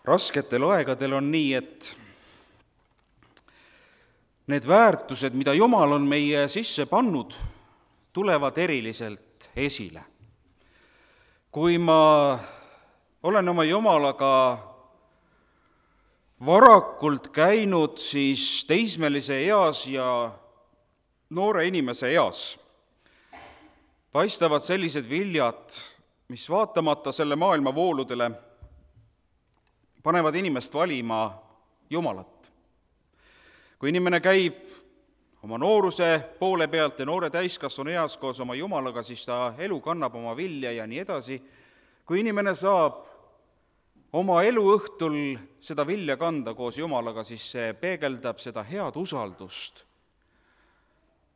Rasketel aegadel on nii, et need väärtused, mida Jumal on meie sisse pannud, tulevad eriliselt esile. Kui ma olen oma Jumalaga varakult käinud, siis teismelise eas ja noore inimese eas paistavad sellised viljad, mis vaatamata selle maailma vooludele panevad inimest valima Jumalat. Kui inimene käib oma nooruse poole pealt ja noore täiskasvanu eas koos oma Jumalaga, siis ta elu kannab oma vilja ja nii edasi. Kui inimene saab oma eluõhtul seda vilja kanda koos Jumalaga, siis see peegeldab seda head usaldust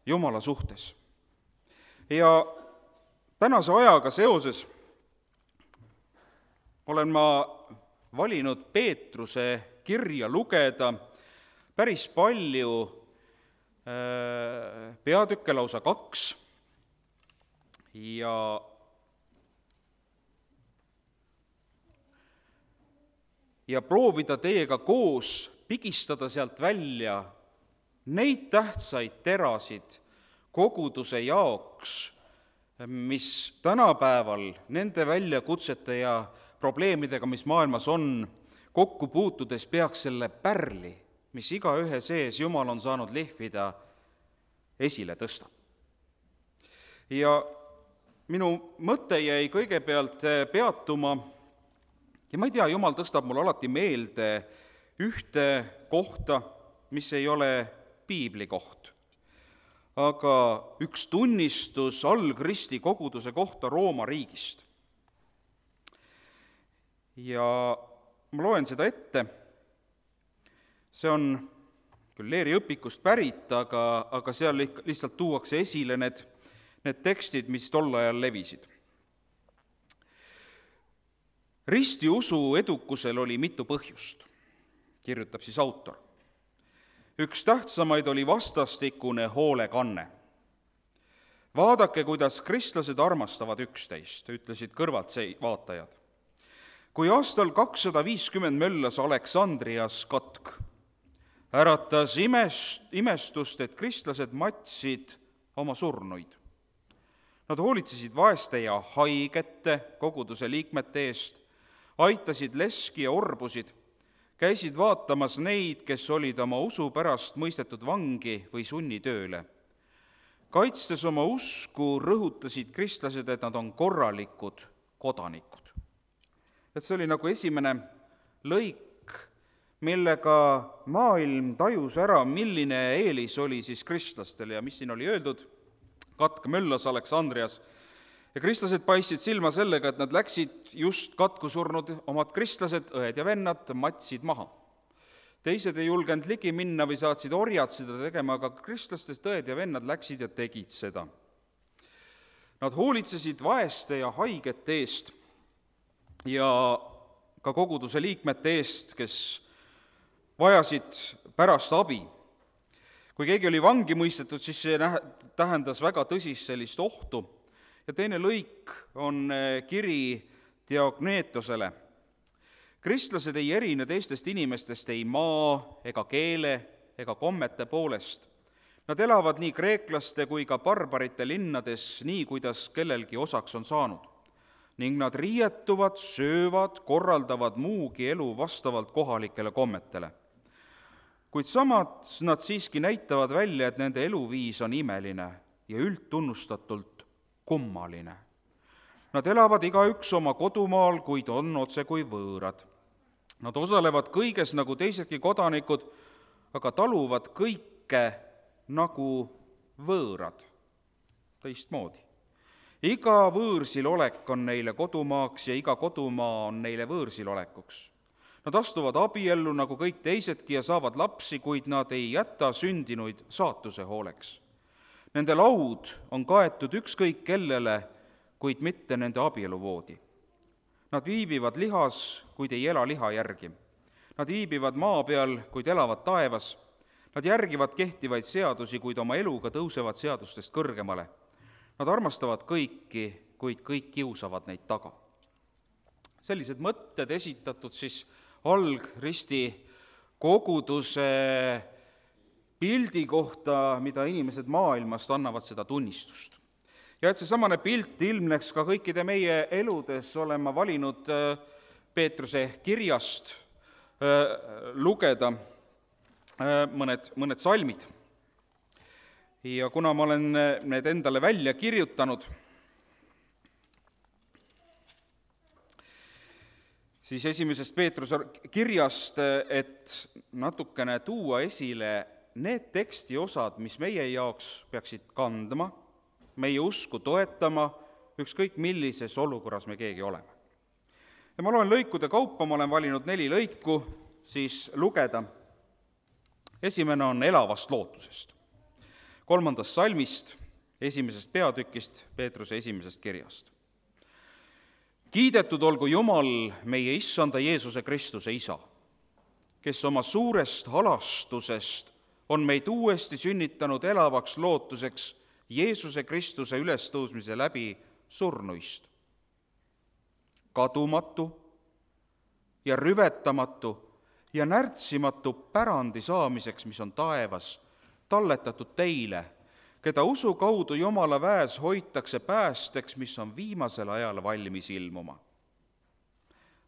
Jumala suhtes. Ja tänase ajaga seoses olen ma valinud Peetruse kirja lugeda päris palju, peatükke lausa 2, ja proovida teiega koos pigistada sealt välja neid tähtsaid terasid koguduse jaoks, mis tänapäeval nende väljakutsete ja probleemidega, mis maailmas on, kokku puutudes peaks selle pärli, mis igaühe sees Jumal on saanud lihvida, esile tõsta. Ja minu mõte jäi kõigepealt peatuma, ja ma ei tea, Jumal tõstab mul alati meelde ühte kohta, mis ei ole piibli koht, aga üks tunnistus algristi koguduse kohta Rooma riigist. Ja ma loen seda ette. See on küll Leeri õpikust pärit, aga seal lihtsalt tuuakse esile need tekstid, mis tol ajal levisid. Ristiusu edukusel oli mitu põhjust, kirjutab siis autor. Üks tähtsamaid oli vastastikune hoolekanne. Vaadake, kuidas kristlased armastavad üksteist, ütlesid kõrvalt vaatajad. Kui aastal 250 möllas Aleksandrias katk, äratas imestust, et kristlased matsid oma surnuid. Nad hoolitsesid vaeste ja haigete koguduse liikmete eest, aitasid leski ja orbusid, käisid vaatamas neid, kes olid oma usu pärast mõistetud vangi või sunnitööle. Kaitstes oma usku, rõhutasid kristlased, et nad on korralikud kodanikud. Et see oli nagu esimene lõik, millega maailm tajus ära, milline eelis oli siis kristlastel ja mis siin oli öeldud. Katk möllas Aleksandrias ja kristlased paistsid silma sellega, et nad läksid just katku surnud omad kristlased, õed ja vennad, matsid maha. Teised ei julgenud ligi minna või saatsid orjad seda tegema, aga kristlastest õed ja vennad läksid ja tegid seda. Nad hoolitsesid vaeste ja haigete eest ja ka koguduse liikmete eest, kes vajasid pärast abi. Kui keegi oli vangi mõistetud, siis see tähendas väga tõsist sellist ohtu. Ja teine lõik on kiri Diogneetosele. Kristlased ei erine teistest inimestest ei maa ega keele ega kommete poolest. Nad elavad nii kreeklaste kui ka barbarite linnades, nii kuidas kellelgi osaks on saanud. Ning nad riietuvad, söövad, korraldavad muugi elu vastavalt kohalikele kommetele. Kuid samad nad siiski näitavad välja, et nende eluviis on imeline ja üldtunnustatult kummaline. Nad elavad igaüks oma kodumaal, kuid on otse kui võõrad. Nad osalevad kõiges nagu teisedki kodanikud, aga taluvad kõike nagu võõrad, teistmoodi. Iga võõrsil olek on neile kodumaaks ja iga kodumaa on neile võõrsil olekuks. Nad astuvad abiellu nagu kõik teisedki ja saavad lapsi, kuid nad ei jäta sündinuid saatuse hooleks. Nende laud on kaetud ükskõik kellele, kuid mitte nende abieluvoodi. Nad viibivad lihas, kuid ei ela liha järgi. Nad viibivad maa peal, kuid elavad taevas. Nad järgivad kehtivaid seadusi, kuid oma eluga tõusevad seadustest kõrgemale. Nad armastavad kõiki, kuid kõik kiusavad neid taga. Sellised mõtted esitatud siis algristi koguduse pildi kohta, mida inimesed maailmast annavad seda tunnistust. Ja et seesamane pilt ilmneks ka kõikide meie eludes, olen ma valinud Peetruse kirjast lugeda mõned salmid. Ja kuna ma olen need endale välja kirjutanud, siis esimesest Peetruse kirjast, et natukene tuua esile need tekstiosad, mis meie jaoks peaksid kandma, meie usku toetama, ükskõik millises olukorras me keegi oleme. Ja ma loen lõikude kaupa, ma olen valinud 4 lõiku siis lugeda. Esimene on elavast lootusest. 3. salmist, 1. peatükist, Peetruse 1. kirjast. Kiidetud olgu Jumal, meie Issanda Jeesuse Kristuse Isa, kes oma suurest halastusest on meid uuesti sünnitanud elavaks lootuseks Jeesuse Kristuse ülestõusmise läbi surnuist. Kadumatu ja rüvetamatu ja närtsimatu pärandi saamiseks, mis on taevas, talletatud teile, keda usu kaudu Jumala väes hoitakse päästeks, mis on viimasel ajal valmis ilmuma.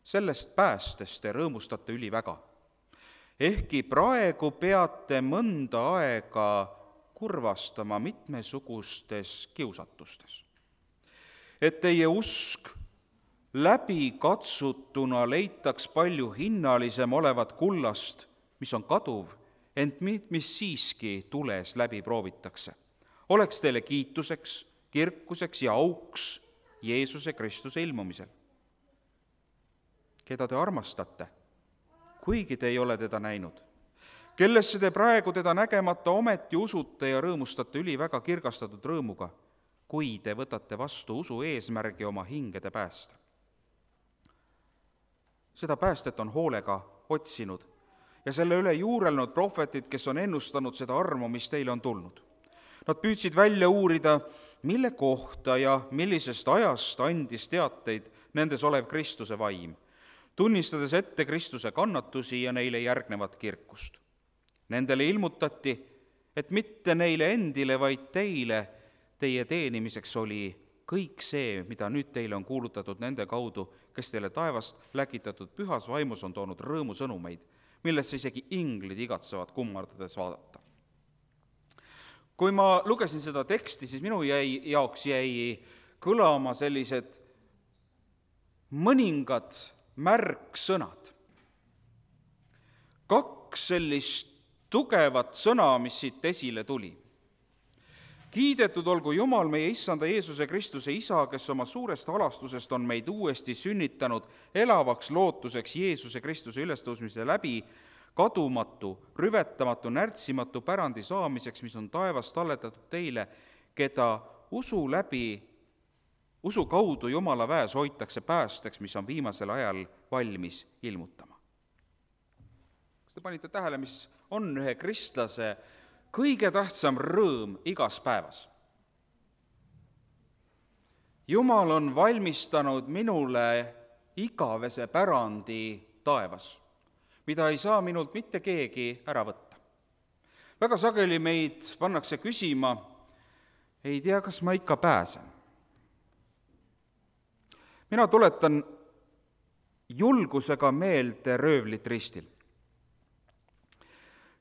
Sellest päästest te rõõmustate üliväga, ehkki praegu peate mõnda aega kurvastama mitmesugustes kiusatustes, et teie usk läbikatsutuna leitaks palju hinnalisem olevat kullast, mis on kaduv, ent mis siiski tules läbi proovitakse. Oleks teile kiituseks, kirkuseks ja auks Jeesuse Kristuse ilmumisel, keda te armastate, kuigi te ei ole teda näinud, kellesse te praegu teda nägemata ometi usute ja rõõmustate üliväga kirgastatud rõõmuga, kui te võtate vastu usu eesmärgi oma hingede päästa. Seda päästet on hoolega otsinud ja selle üle juurelnud prohvetid, kes on ennustanud seda armu, mis teile on tulnud. Nad püüdsid välja uurida, mille kohta ja millisest ajast andis teateid nendes olev Kristuse vaim, tunnistades ette Kristuse kannatusi ja neile järgnevat kirkust. Nendele ilmutati, et mitte neile endile, vaid teile, teie teenimiseks oli kõik see, mida nüüd teile on kuulutatud nende kaudu, kes teile taevast läkitatud pühas vaimus on toonud rõõmusõnumeid, millesse isegi inglid igatsevad kummardades vaadata. Kui ma lugesin seda teksti, siis minu jaoks jäi kõlama sellised mõningad märksõnad. 2 sellist tugevat sõna, mis siit esile tuli. Kiidetud olgu Jumal, meie Issanda Jeesuse Kristuse Isa, kes oma suurest halastusest on meid uuesti sünnitanud elavaks lootuseks Jeesuse Kristuse ülestõusmise läbi kadumatu, rüvetamatu, närtsimatu pärandi saamiseks, mis on taevas talletatud teile, keda usu kaudu Jumala väes hoitakse päästeks, mis on viimasel ajal valmis ilmutama. Kas te panite tähele, mis on ühe kristlase kõige tähtsam rõõm igas päevas? Jumal on valmistanud minule igavese pärandi taevas, mida ei saa minult mitte keegi ära võtta. Väga sageli meid pannakse küsima, ei tea, kas ma ikka pääsen. Mina tuletan julgusega meelde röövlit ristil,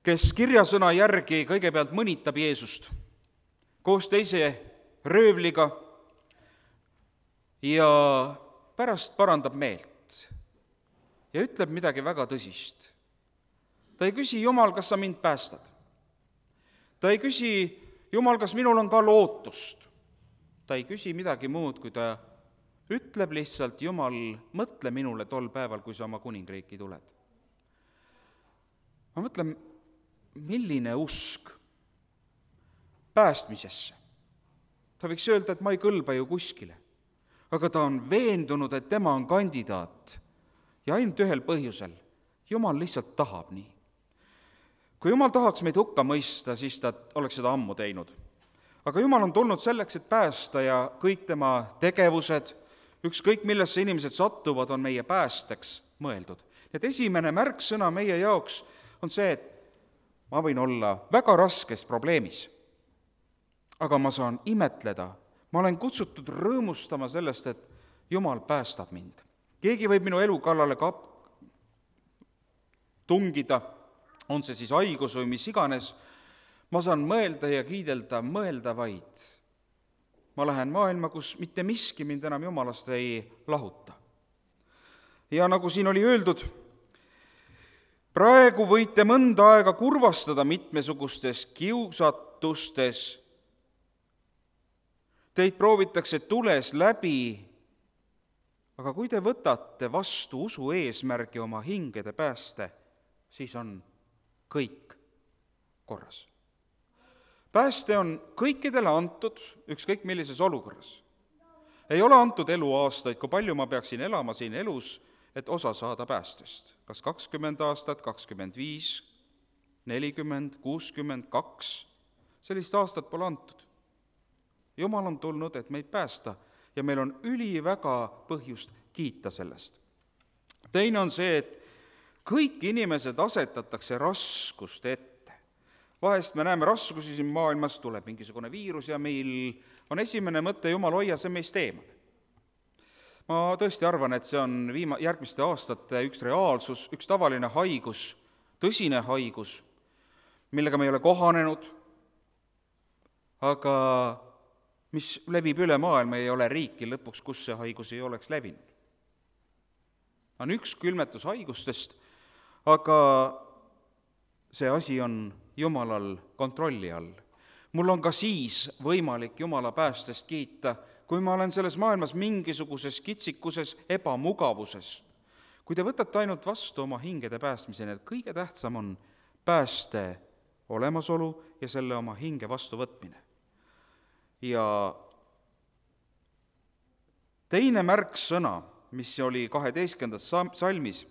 kes kirjasõna järgi kõigepealt mõnitab Jeesust koos teise röövliga ja pärast parandab meelt ja ütleb midagi väga tõsist. Ta ei küsi, Jumal, kas sa mind päästad? Ta ei küsi, Jumal, kas minul on ka lootust? Ta ei küsi midagi muud, kui ta ütleb lihtsalt, Jumal, mõtle minule tol päeval, kui sa oma kuningriiki tuled. Ma mõtlen, milline usk päästmisesse. Ta võiks öelda, et ma ei kõlba ju kuskile, aga ta on veendunud, et tema on kandidaat ja ainult ühel põhjusel. Jumal lihtsalt tahab nii. Kui Jumal tahaks meid hukka mõista, siis ta oleks seda ammu teinud. Aga Jumal on tulnud selleks, et päästa ja kõik tema tegevused, ükskõik millesse inimesed sattuvad, on meie päästeks. mõeldud. Nii et esimene märksõna meie jaoks on see, et ma võin olla väga raskes probleemis, aga ma saan imetleda, ma olen kutsutud rõõmustama sellest, et Jumal päästab mind. Keegi võib minu elu kallale tungida, on see siis haigus või mis iganes, ma saan mõelda ja kiidelda, mõelda vaid. Ma lähen maailma, kus mitte miski mind enam Jumalast ei lahuta. Ja nagu siin oli öeldud, praegu võite mõnda aega kurvastada mitmesugustes kiusatustes. Teid proovitakse tules läbi, aga kui te võtate vastu usu eesmärgi oma hingede pääste, siis on kõik korras. Pääste on kõikidele antud, ükskõik millises olukorras. Ei ole antud eluaastaid, kui palju ma peaksin elama siin elus, et osa saada päästest. Kas 20 aastat, 25, 40, 62, sellist aastat pole antud. Jumal on tulnud, et meid päästa ja meil on üliväga põhjust kiita sellest. Teine on see, et kõik inimesed asetatakse raskuste ette. Vahest me näeme raskusi siin maailmas, tuleb mingisugune viirus ja meil on esimene mõte, Jumal, hoia see meist eemale. Ma tõesti arvan, et see on järgmiste aastate üks reaalsus, üks tavaline haigus, tõsine haigus, millega me ei ole kohanenud, aga mis levib üle maailma, ei ole riiki lõpuks, kus see haigus ei oleks levinud. On üks külmetushaigustest, aga see asi on Jumalal kontrolli all. Mul on ka siis võimalik Jumala päästest kiita, kui ma olen selles maailmas mingisuguses kitsikuses ebamugavuses. Kui te võtate ainult vastu oma hingede päästmiseni, et kõige tähtsam on pääste olemasolu ja selle oma hinge vastu võtmine. Ja teine märksõna, mis oli 12. salmis,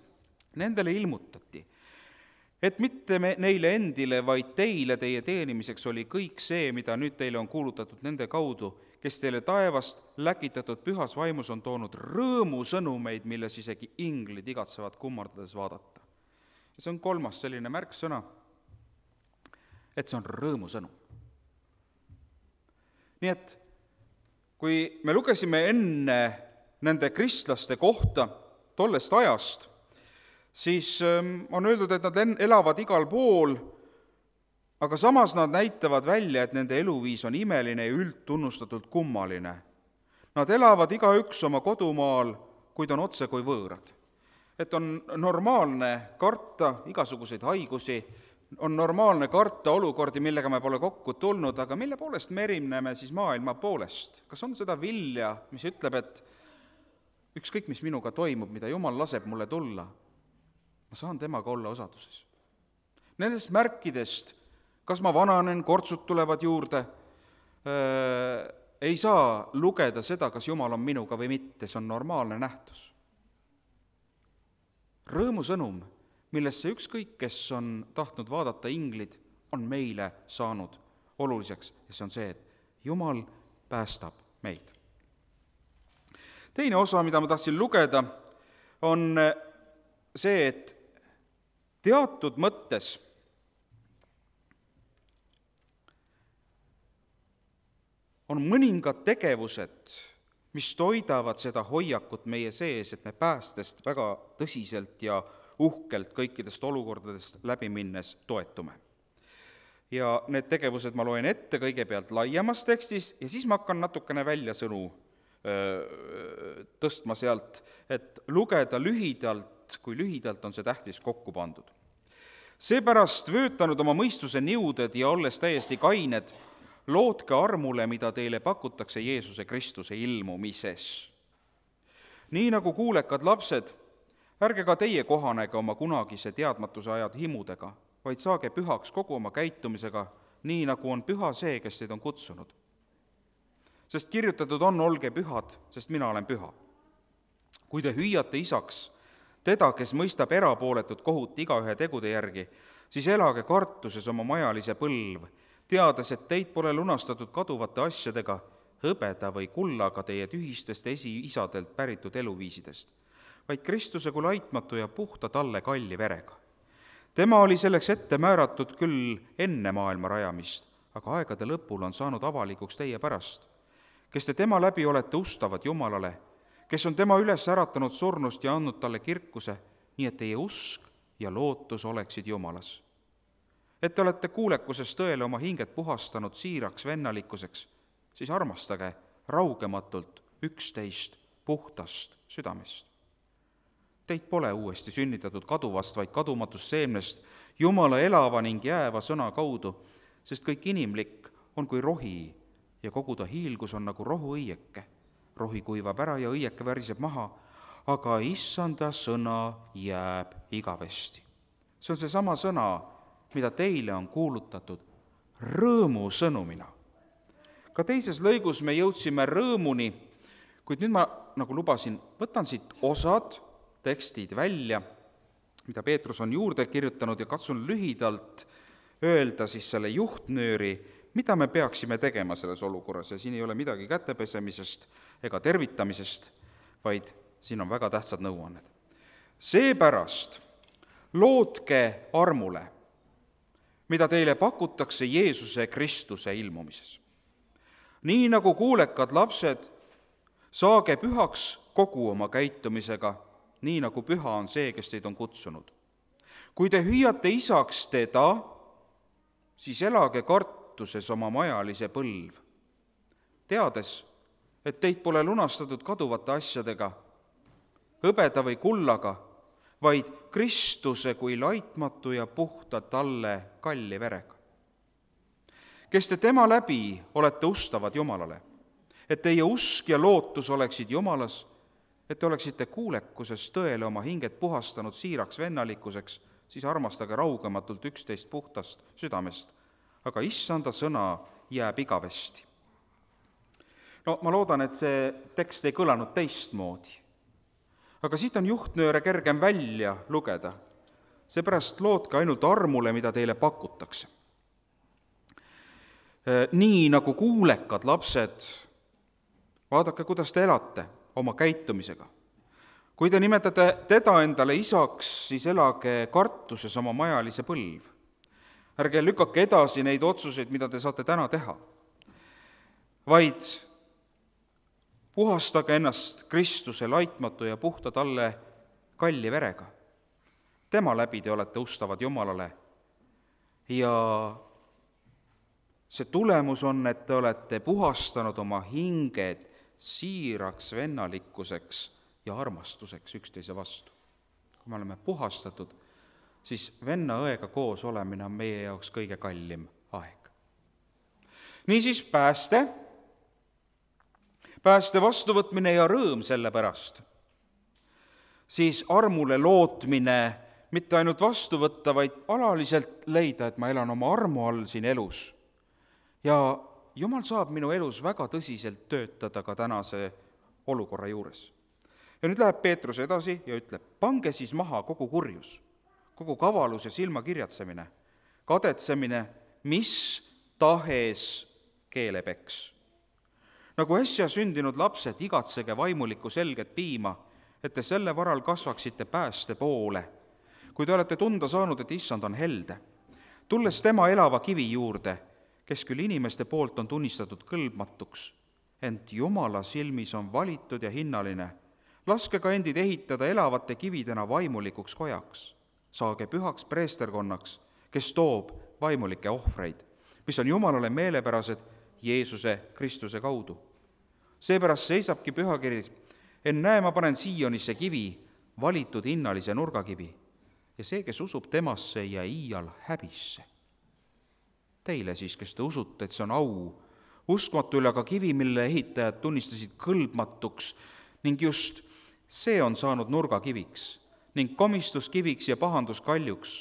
nendele ilmutati, et mitte neile endile, vaid teile, teie teenimiseks oli kõik see, mida nüüd teile on kuulutatud nende kaudu, kes teile taevast läkitatud pühas vaimus on toonud rõõmusõnumeid, milles isegi inglid igatsevad kummardades vaadata. Ja see on kolmas selline märksõna, et see on rõõmusõnum. Nii et kui me lugesime enne nende kristlaste kohta tollest ajast, siis on öeldud, et nad elavad igal pool, aga samas nad näitavad välja, et nende eluviis on imeline ja üldtunnustatult kummaline. Nad elavad igaüks oma kodumaal, kuid on otse kui võõrad. Et on normaalne karta igasuguseid haigusi, on normaalne karta olukordi, millega me pole kokku tulnud, aga mille poolest me erineme siis maailma poolest? Kas on seda vilja, mis ütleb, et ükskõik, mis minuga toimub, mida Jumal laseb mulle tulla, ma saan temaga olla osaduses. Nendest märkidest, kas ma vananen, kortsud tulevad juurde, ei saa lugeda seda, kas Jumal on minuga või mitte, see on normaalne nähtus. Rõõmusõnum, millesse ükskõik, kes on tahtnud vaadata inglid, on meile saanud oluliseks ja see on see, et Jumal päästab meid. Teine osa, mida ma tahtsin lugeda, on see, et teatud mõttes on mõningad tegevused, mis toidavad seda hoiakut meie sees, et me päästest väga tõsiselt ja uhkelt kõikidest olukordadest läbi minnes toetume. Ja need tegevused ma loen ette kõigepealt laiemas tekstis ja siis ma hakkan natukene väljasõnu tõstma sealt, et lugeda lühidalt, kui lühidalt on see tähtis kokku pandud. Seepärast vöötanud oma mõistuse niuded ja olles täiesti kained, lootke armule, mida teile pakutakse Jeesuse Kristuse ilmumises. Nii nagu kuulekad lapsed, ärge ka teie kohanege oma kunagise teadmatuse ajad himudega, vaid saage pühaks kogu oma käitumisega, nii nagu on püha see, kes teid on kutsunud. Sest kirjutatud on, olge pühad, sest mina olen püha. Kui te hüüate isaks teda, kes mõistab erapooletut kohut igaühe tegude järgi, siis elage kartuses oma majalise põlv, teades, et teid pole lunastatud kaduvate asjadega, hõbeda või kullaga teie tühistest esiisadelt päritud eluviisidest, vaid Kristuse kui laitmatu ja puhta talle kalli verega. Tema oli selleks ette määratud küll enne maailma rajamist, aga aegade lõpul on saanud avalikuks teie pärast, kes te tema läbi olete ustavad Jumalale, kes on tema üles äratanud surnust ja andnud talle kirkuse, nii et teie usk ja lootus oleksid Jumalas. Et te olete kuulekusest tõele oma hinged puhastanud siiraks vennalikkuseks, siis armastage raugematult üksteist puhtast südamest. Teid pole uuesti sünnitatud kaduvast, vaid kadumatust seemnest Jumala elava ning jääva sõna kaudu, sest kõik inimlik on kui rohi ja kogu ta hiilgus on nagu rohuõieke. Rohi kuivab ära ja õieke väriseb maha, aga issanda sõna jääb igavesti. See on seesama sõna, mida teile on kuulutatud rõõmu sõnumina. Ka teises lõigus me jõudsime rõõmuni, kuid nüüd ma, nagu lubasin, võtan siit osad tekstid välja, mida Peetrus on juurde kirjutanud ja katsun lühidalt öelda siis selle juhtnööri, mida me peaksime tegema selles olukorras. Ja siin ei ole midagi kätepesemisest ega tervitamisest, vaid siin on väga tähtsad nõuanned. Seepärast lootke armule, mida teile pakutakse Jeesuse Kristuse ilmumises. Nii nagu kuulekad lapsed, saage pühaks kogu oma käitumisega, nii nagu püha on see, kes teid on kutsunud. Kui te hüüate isaks teda, siis elage kartuses oma majalise põlv, teades, et teid pole lunastatud kaduvate asjadega, hõbeda või kullaga, vaid Kristuse kui laitmatu ja puhta talle kalli verega. Kes te tema läbi olete ustavad Jumalale, et teie usk ja lootus oleksid Jumalas, et te oleksite kuulekuses tõele oma hinged puhastanud siiraks vennalikkuseks, siis armastage raugematult üksteist puhtast südamest, aga issanda sõna jääb igavesti. No ma loodan, et see tekst ei kõlanud teistmoodi, aga siit on juhtnööre kergem välja lugeda, seepärast lootke ainult armule, mida teile pakutakse. Nii nagu kuulekad lapsed, vaadake, kuidas te elate oma käitumisega. Kui te nimetate teda endale isaks, siis elage kartuses oma majalise põlv. Ärge lükake edasi neid otsuseid, mida te saate täna teha, vaid puhastage ennast Kristuse laitmatu ja puhta talle kalli verega. Tema läbi te olete ustavad Jumalale ja see tulemus on, et te olete puhastanud oma hinged siiraks vennalikkuseks ja armastuseks üksteise vastu. Kui me oleme puhastatud, siis venna-õega koos olemine on meie jaoks kõige kallim aeg. Niisiis pääste vastuvõtmine ja rõõm selle pärast, siis armule lootmine mitte ainult vastu võtta, vaid alaliselt leida, et ma elan oma armu all siin elus. Ja Jumal saab minu elus väga tõsiselt töötada ka tänase olukorra juures. Ja nüüd läheb Peetrus edasi ja ütleb, pange siis maha kogu kurjus, kogu kavalus ja silmakirjatsemine, kadetsemine, mis tahes keelepeks. Nagu äsja sündinud lapsed, igatsege vaimulikku selget piima, et te selle varal kasvaksite pääste poole, kui te olete tunda saanud, et issand on helde, tulles tema elava kivi juurde, kes küll inimeste poolt on tunnistatud kõlbmatuks, ent Jumala silmis on valitud ja hinnaline. Laske ka endid ehitada elavate kividena vaimulikuks kojaks. Saage pühaks preesterkonnaks, kes toob vaimulikke ohvreid, mis on Jumalale meelepärased Jeesuse Kristuse kaudu. Seepärast seisabki pühakiri, ennäe, ma panen Siionisse kivi, valitud hinnalise nurgakivi, ja see, kes usub temasse, ei jää iial häbisse. Teile siis, kes te usute, et see on au, uskmatu üle aga kivi, mille ehitajad tunnistasid kõlbmatuks, ning just see on saanud nurgakiviks ning komistuskiviks ja pahanduskaljuks.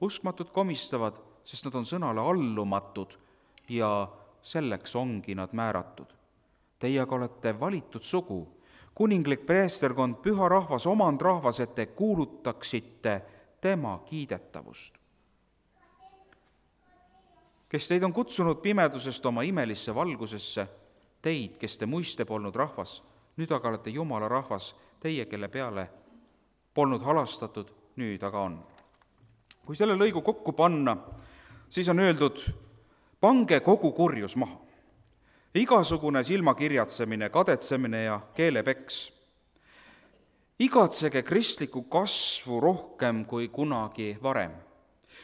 Uskmatud komistavad, sest nad on sõnale allumatud ja selleks ongi nad määratud. Teie aga olete valitud sugu, kuninglik preesterkond, püha rahvas, omand rahvas, et te kuulutaksite tema kiidetavust. Kes teid on kutsunud pimedusest oma imelisse valgusesse, teid, kes te muiste polnud rahvas, nüüd aga olete Jumala rahvas, teie, kelle peale polnud halastatud, nüüd aga on. Kui selle lõigu kokku panna, siis on öeldud, pange kogu kurjus maha. Igasugune silmakirjatsemine, kadetsemine ja keelepeks. Igatsege kristlikku kasvu rohkem kui kunagi varem.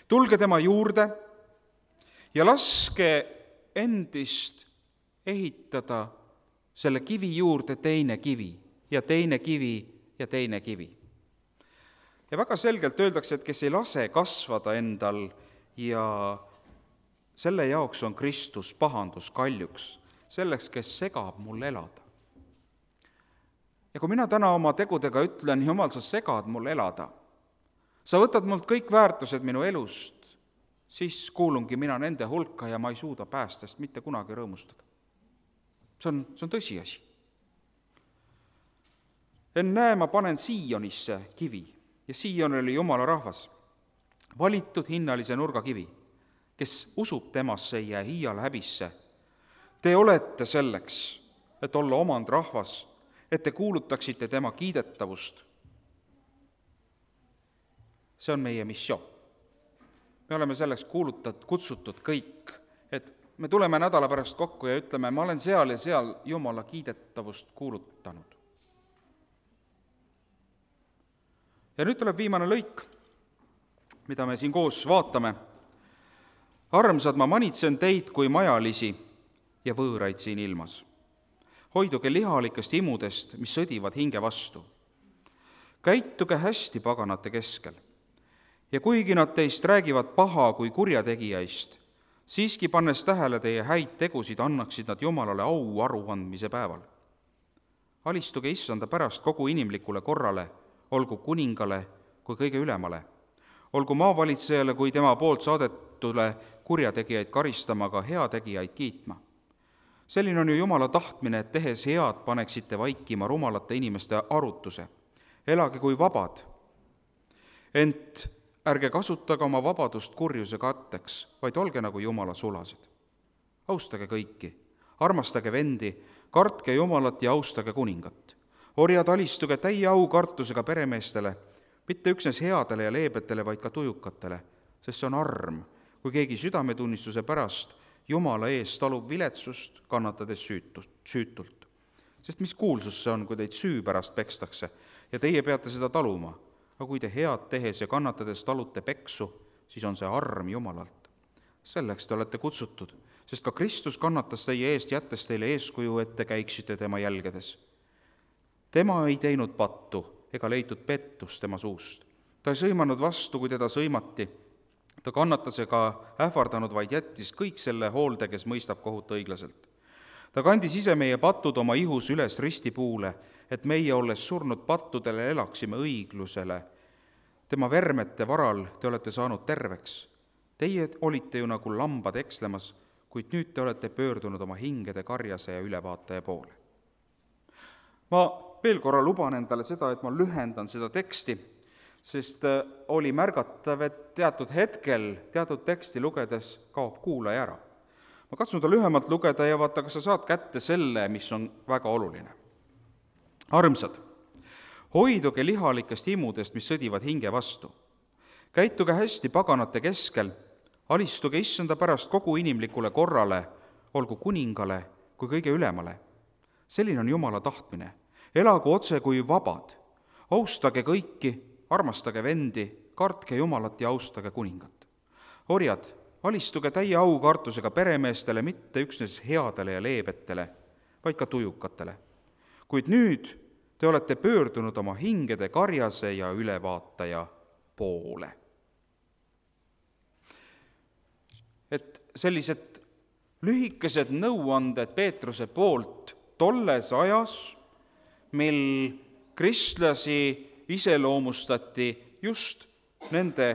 Tulge tema juurde ja laske endist ehitada selle kivi juurde teine kivi ja teine kivi ja teine kivi. Ja väga selgelt öeldakse, et kes ei lase kasvada endal ja selle jaoks on Kristus pahanduskaljuks, selleks, kes segab mul elada. Ja kui mina täna oma tegudega ütlen, Jumal, sa segad mul elada, sa võtad mult kõik väärtused minu elust, siis kuulungi mina nende hulka ja ma ei suuda päästest mitte kunagi rõõmustada. See on tõsiasi. Ennäe, ma panen Siionisse kivi ja Sion oli Jumala rahvas, valitud hinnalise nurgakivi, kes usub temasse ei jää iial häbisse. Te olete selleks, et olla omand rahvas, et te kuulutaksite tema kiidetavust. See on meie missioon. Me oleme selleks kutsutud kõik, et me tuleme nädala pärast kokku ja ütleme, ma olen seal ja seal Jumala kiidetavust kuulutanud. Ja nüüd tuleb viimane lõik, mida me siin koos vaatame. Armsad, ma manitsen teid kui majalisi ja võõraid siin ilmas. Hoiduge lihalikest imudest, mis sõdivad hinge vastu. Käituge hästi paganate keskel. Ja kuigi nad teist räägivad paha kui kurjategijaist, siiski pannes tähele teie häid tegusid, annaksid nad Jumalale au aruandmise päeval. Alistuge issanda pärast kogu inimlikule korrale, olgu kuningale kui kõige ülemale, olgu maavalitsejale kui tema poolt saadetule kurjategijaid karistama, aga heategijaid kiitma. Selline on ju Jumala tahtmine, et tehes head paneksite vaikima rumalate inimeste arutuse. Elage kui vabad, ent ärge kasutage oma vabadust kurjuse katteks, vaid olge nagu Jumala sulased. Austage kõiki, armastage vendi, kartke Jumalat ja austage kuningat. Orjad, alistuge täie aukartusega peremeestele, mitte üksnes headele ja leebetele, vaid ka tujukatele, sest see on arm, kui keegi südametunnistuse pärast Jumala ees talub viletsust, kannatades süütult. Sest mis kuulsus see on, kui teid süü pärast pekstakse ja teie peate seda taluma, aga kui te head tehes ja kannatades talute peksu, siis on see arm Jumalalt. Selleks te olete kutsutud, sest ka Kristus kannatas teie eest, jättes teile eeskuju, et te käiksite tema jälgedes. Tema ei teinud pattu ega leitud pettust tema suust. Ta ei sõimanud vastu, kui teda sõimati. Ta kannatas ega ähvardanud, vaid jättis kõik selle hoolde, kes mõistab kohut õiglaselt. Ta kandis ise meie patud oma ihus üles ristipuule, et meie, olles surnud pattudele, elaksime õiglusele. Tema vermete varal te olete saanud terveks. Teie olite ju nagu lambad ekslemas, kuid nüüd te olete pöördunud oma hingede karjase ja ülevaataja poole. Ma veel korra luban endale seda, et ma lühendan seda teksti, sest oli märgatav, et teatud hetkel, teatud teksti lugedes kaob kuulaja ära. Ma katsun ta lühemalt lugeda ja vaata, kas sa saad kätte selle, mis on väga oluline. Armsad, hoiduge lihalikest imudest, mis sõdivad hinge vastu. Käituge hästi paganate keskel, alistuge issanda pärast kogu inimlikule korrale, olgu kuningale kui kõige ülemale. Selline on Jumala tahtmine. Elagu otse kui vabad. Austage kõiki, armastage vendi, kartke Jumalat ja austage kuningat. Orjad, alistuge täie aukartusega peremeestele, mitte üksnes headele ja leebetele, vaid ka tujukatele. Kuid nüüd te olete pöördunud oma hingede karjase ja ülevaataja poole. Et sellised lühikesed nõuanded Peetruse poolt tolles ajas, mil kristlasi iseloomustati just nende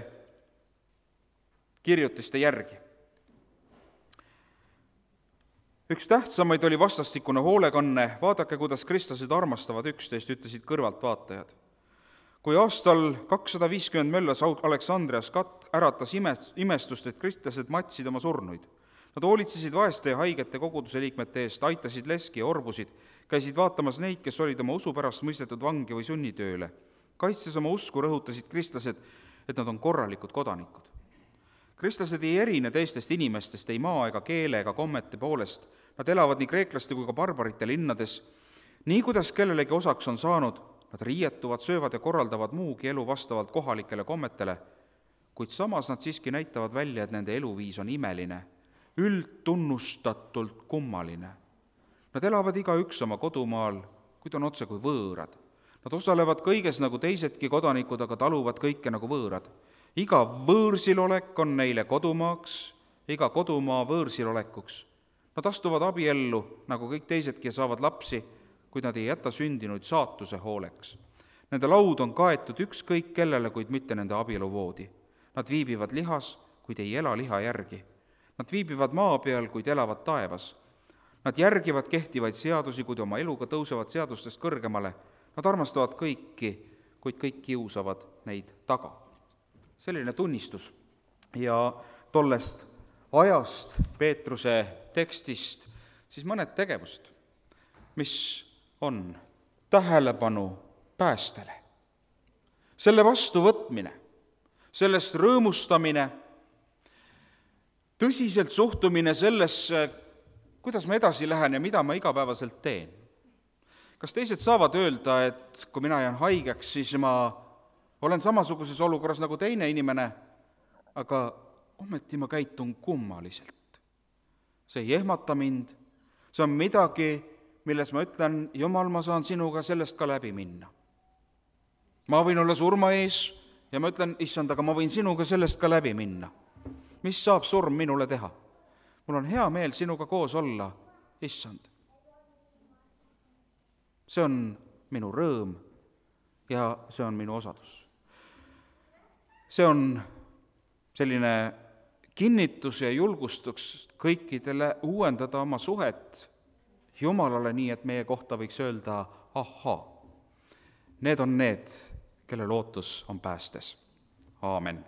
kirjutiste järgi. Üks tähtsamaid oli vastastikune hoolekanne. Vaadake, kuidas kristlased armastavad üksteist, ütlesid kõrvaltvaatajad. Kui aastal 250 möllas Aleksandrias äratas imestust, et kristlased matsid oma surnuid. Nad hoolitsesid vaeste ja haigete koguduse liikmete eest, aitasid leski ja orbusid, käisid vaatamas neid, kes olid oma usu pärast mõistetud vangi või sunnitööle. Kaitses oma usku rõhutasid kristlased, et nad on korralikud kodanikud. Kristlased ei erine teistest inimestest ei maa ega keele ega kommete poolest. Nad elavad nii kreeklaste kui ka barbarite linnades. Nii kuidas kellelegi osaks on saanud, nad riietuvad, söövad ja korraldavad muugi elu vastavalt kohalikele kommetele, kuid samas nad siiski näitavad välja, et nende eluviis on imeline, üldtunnustatult kummaline. Nad elavad igaüks oma kodumaal, kuid on otse kui võõrad. Nad osalevad kõiges nagu teisedki kodanikud, aga taluvad kõike nagu võõrad. Iga võõrsilolek on neile kodumaaks, iga kodumaa võõrsilolekuks. Nad astuvad abiellu nagu kõik teisedki ja saavad lapsi, kuid nad ei jäta sündinuid saatuse hooleks. Nende laud on kaetud ükskõik kellele, kuid mitte nende abieluvoodi. Nad viibivad lihas, kuid ei ela liha järgi. Nad viibivad maa peal, kuid elavad taevas. Nad järgivad kehtivaid seadusi, kuid oma eluga tõusevad seadustest kõrgemale. Nad armastavad kõiki, kuid kõik kiusavad neid taga. Selline tunnistus. Ja tollest ajast, Peetruse tekstist, siis mõned tegevused, mis on tähelepanu päästele. Selle vastuvõtmine, sellest rõõmustamine, tõsiselt suhtumine sellesse, kuidas ma edasi lähen ja mida ma igapäevaselt teen. Kas teised saavad öelda, et kui mina jään haigeks, siis ma olen samasuguses olukorras nagu teine inimene, aga ometi ma käitun kummaliselt. See ei ehmata mind, see on midagi, milles ma ütlen, Jumal, ma saan sinuga sellest ka läbi minna. Ma võin olla surma ees ja ma ütlen, issand, aga ma võin sinuga sellest ka läbi minna. Mis saab surm minule teha? Mul on hea meel sinuga koos olla, issand. See on minu rõõm ja see on minu osadus. See on selline kinnitus ja julgustus kõikidele uuendada oma suhet Jumalale nii, et meie kohta võiks öelda, ahaa, need on need, kelle lootus on päästes. Aamen.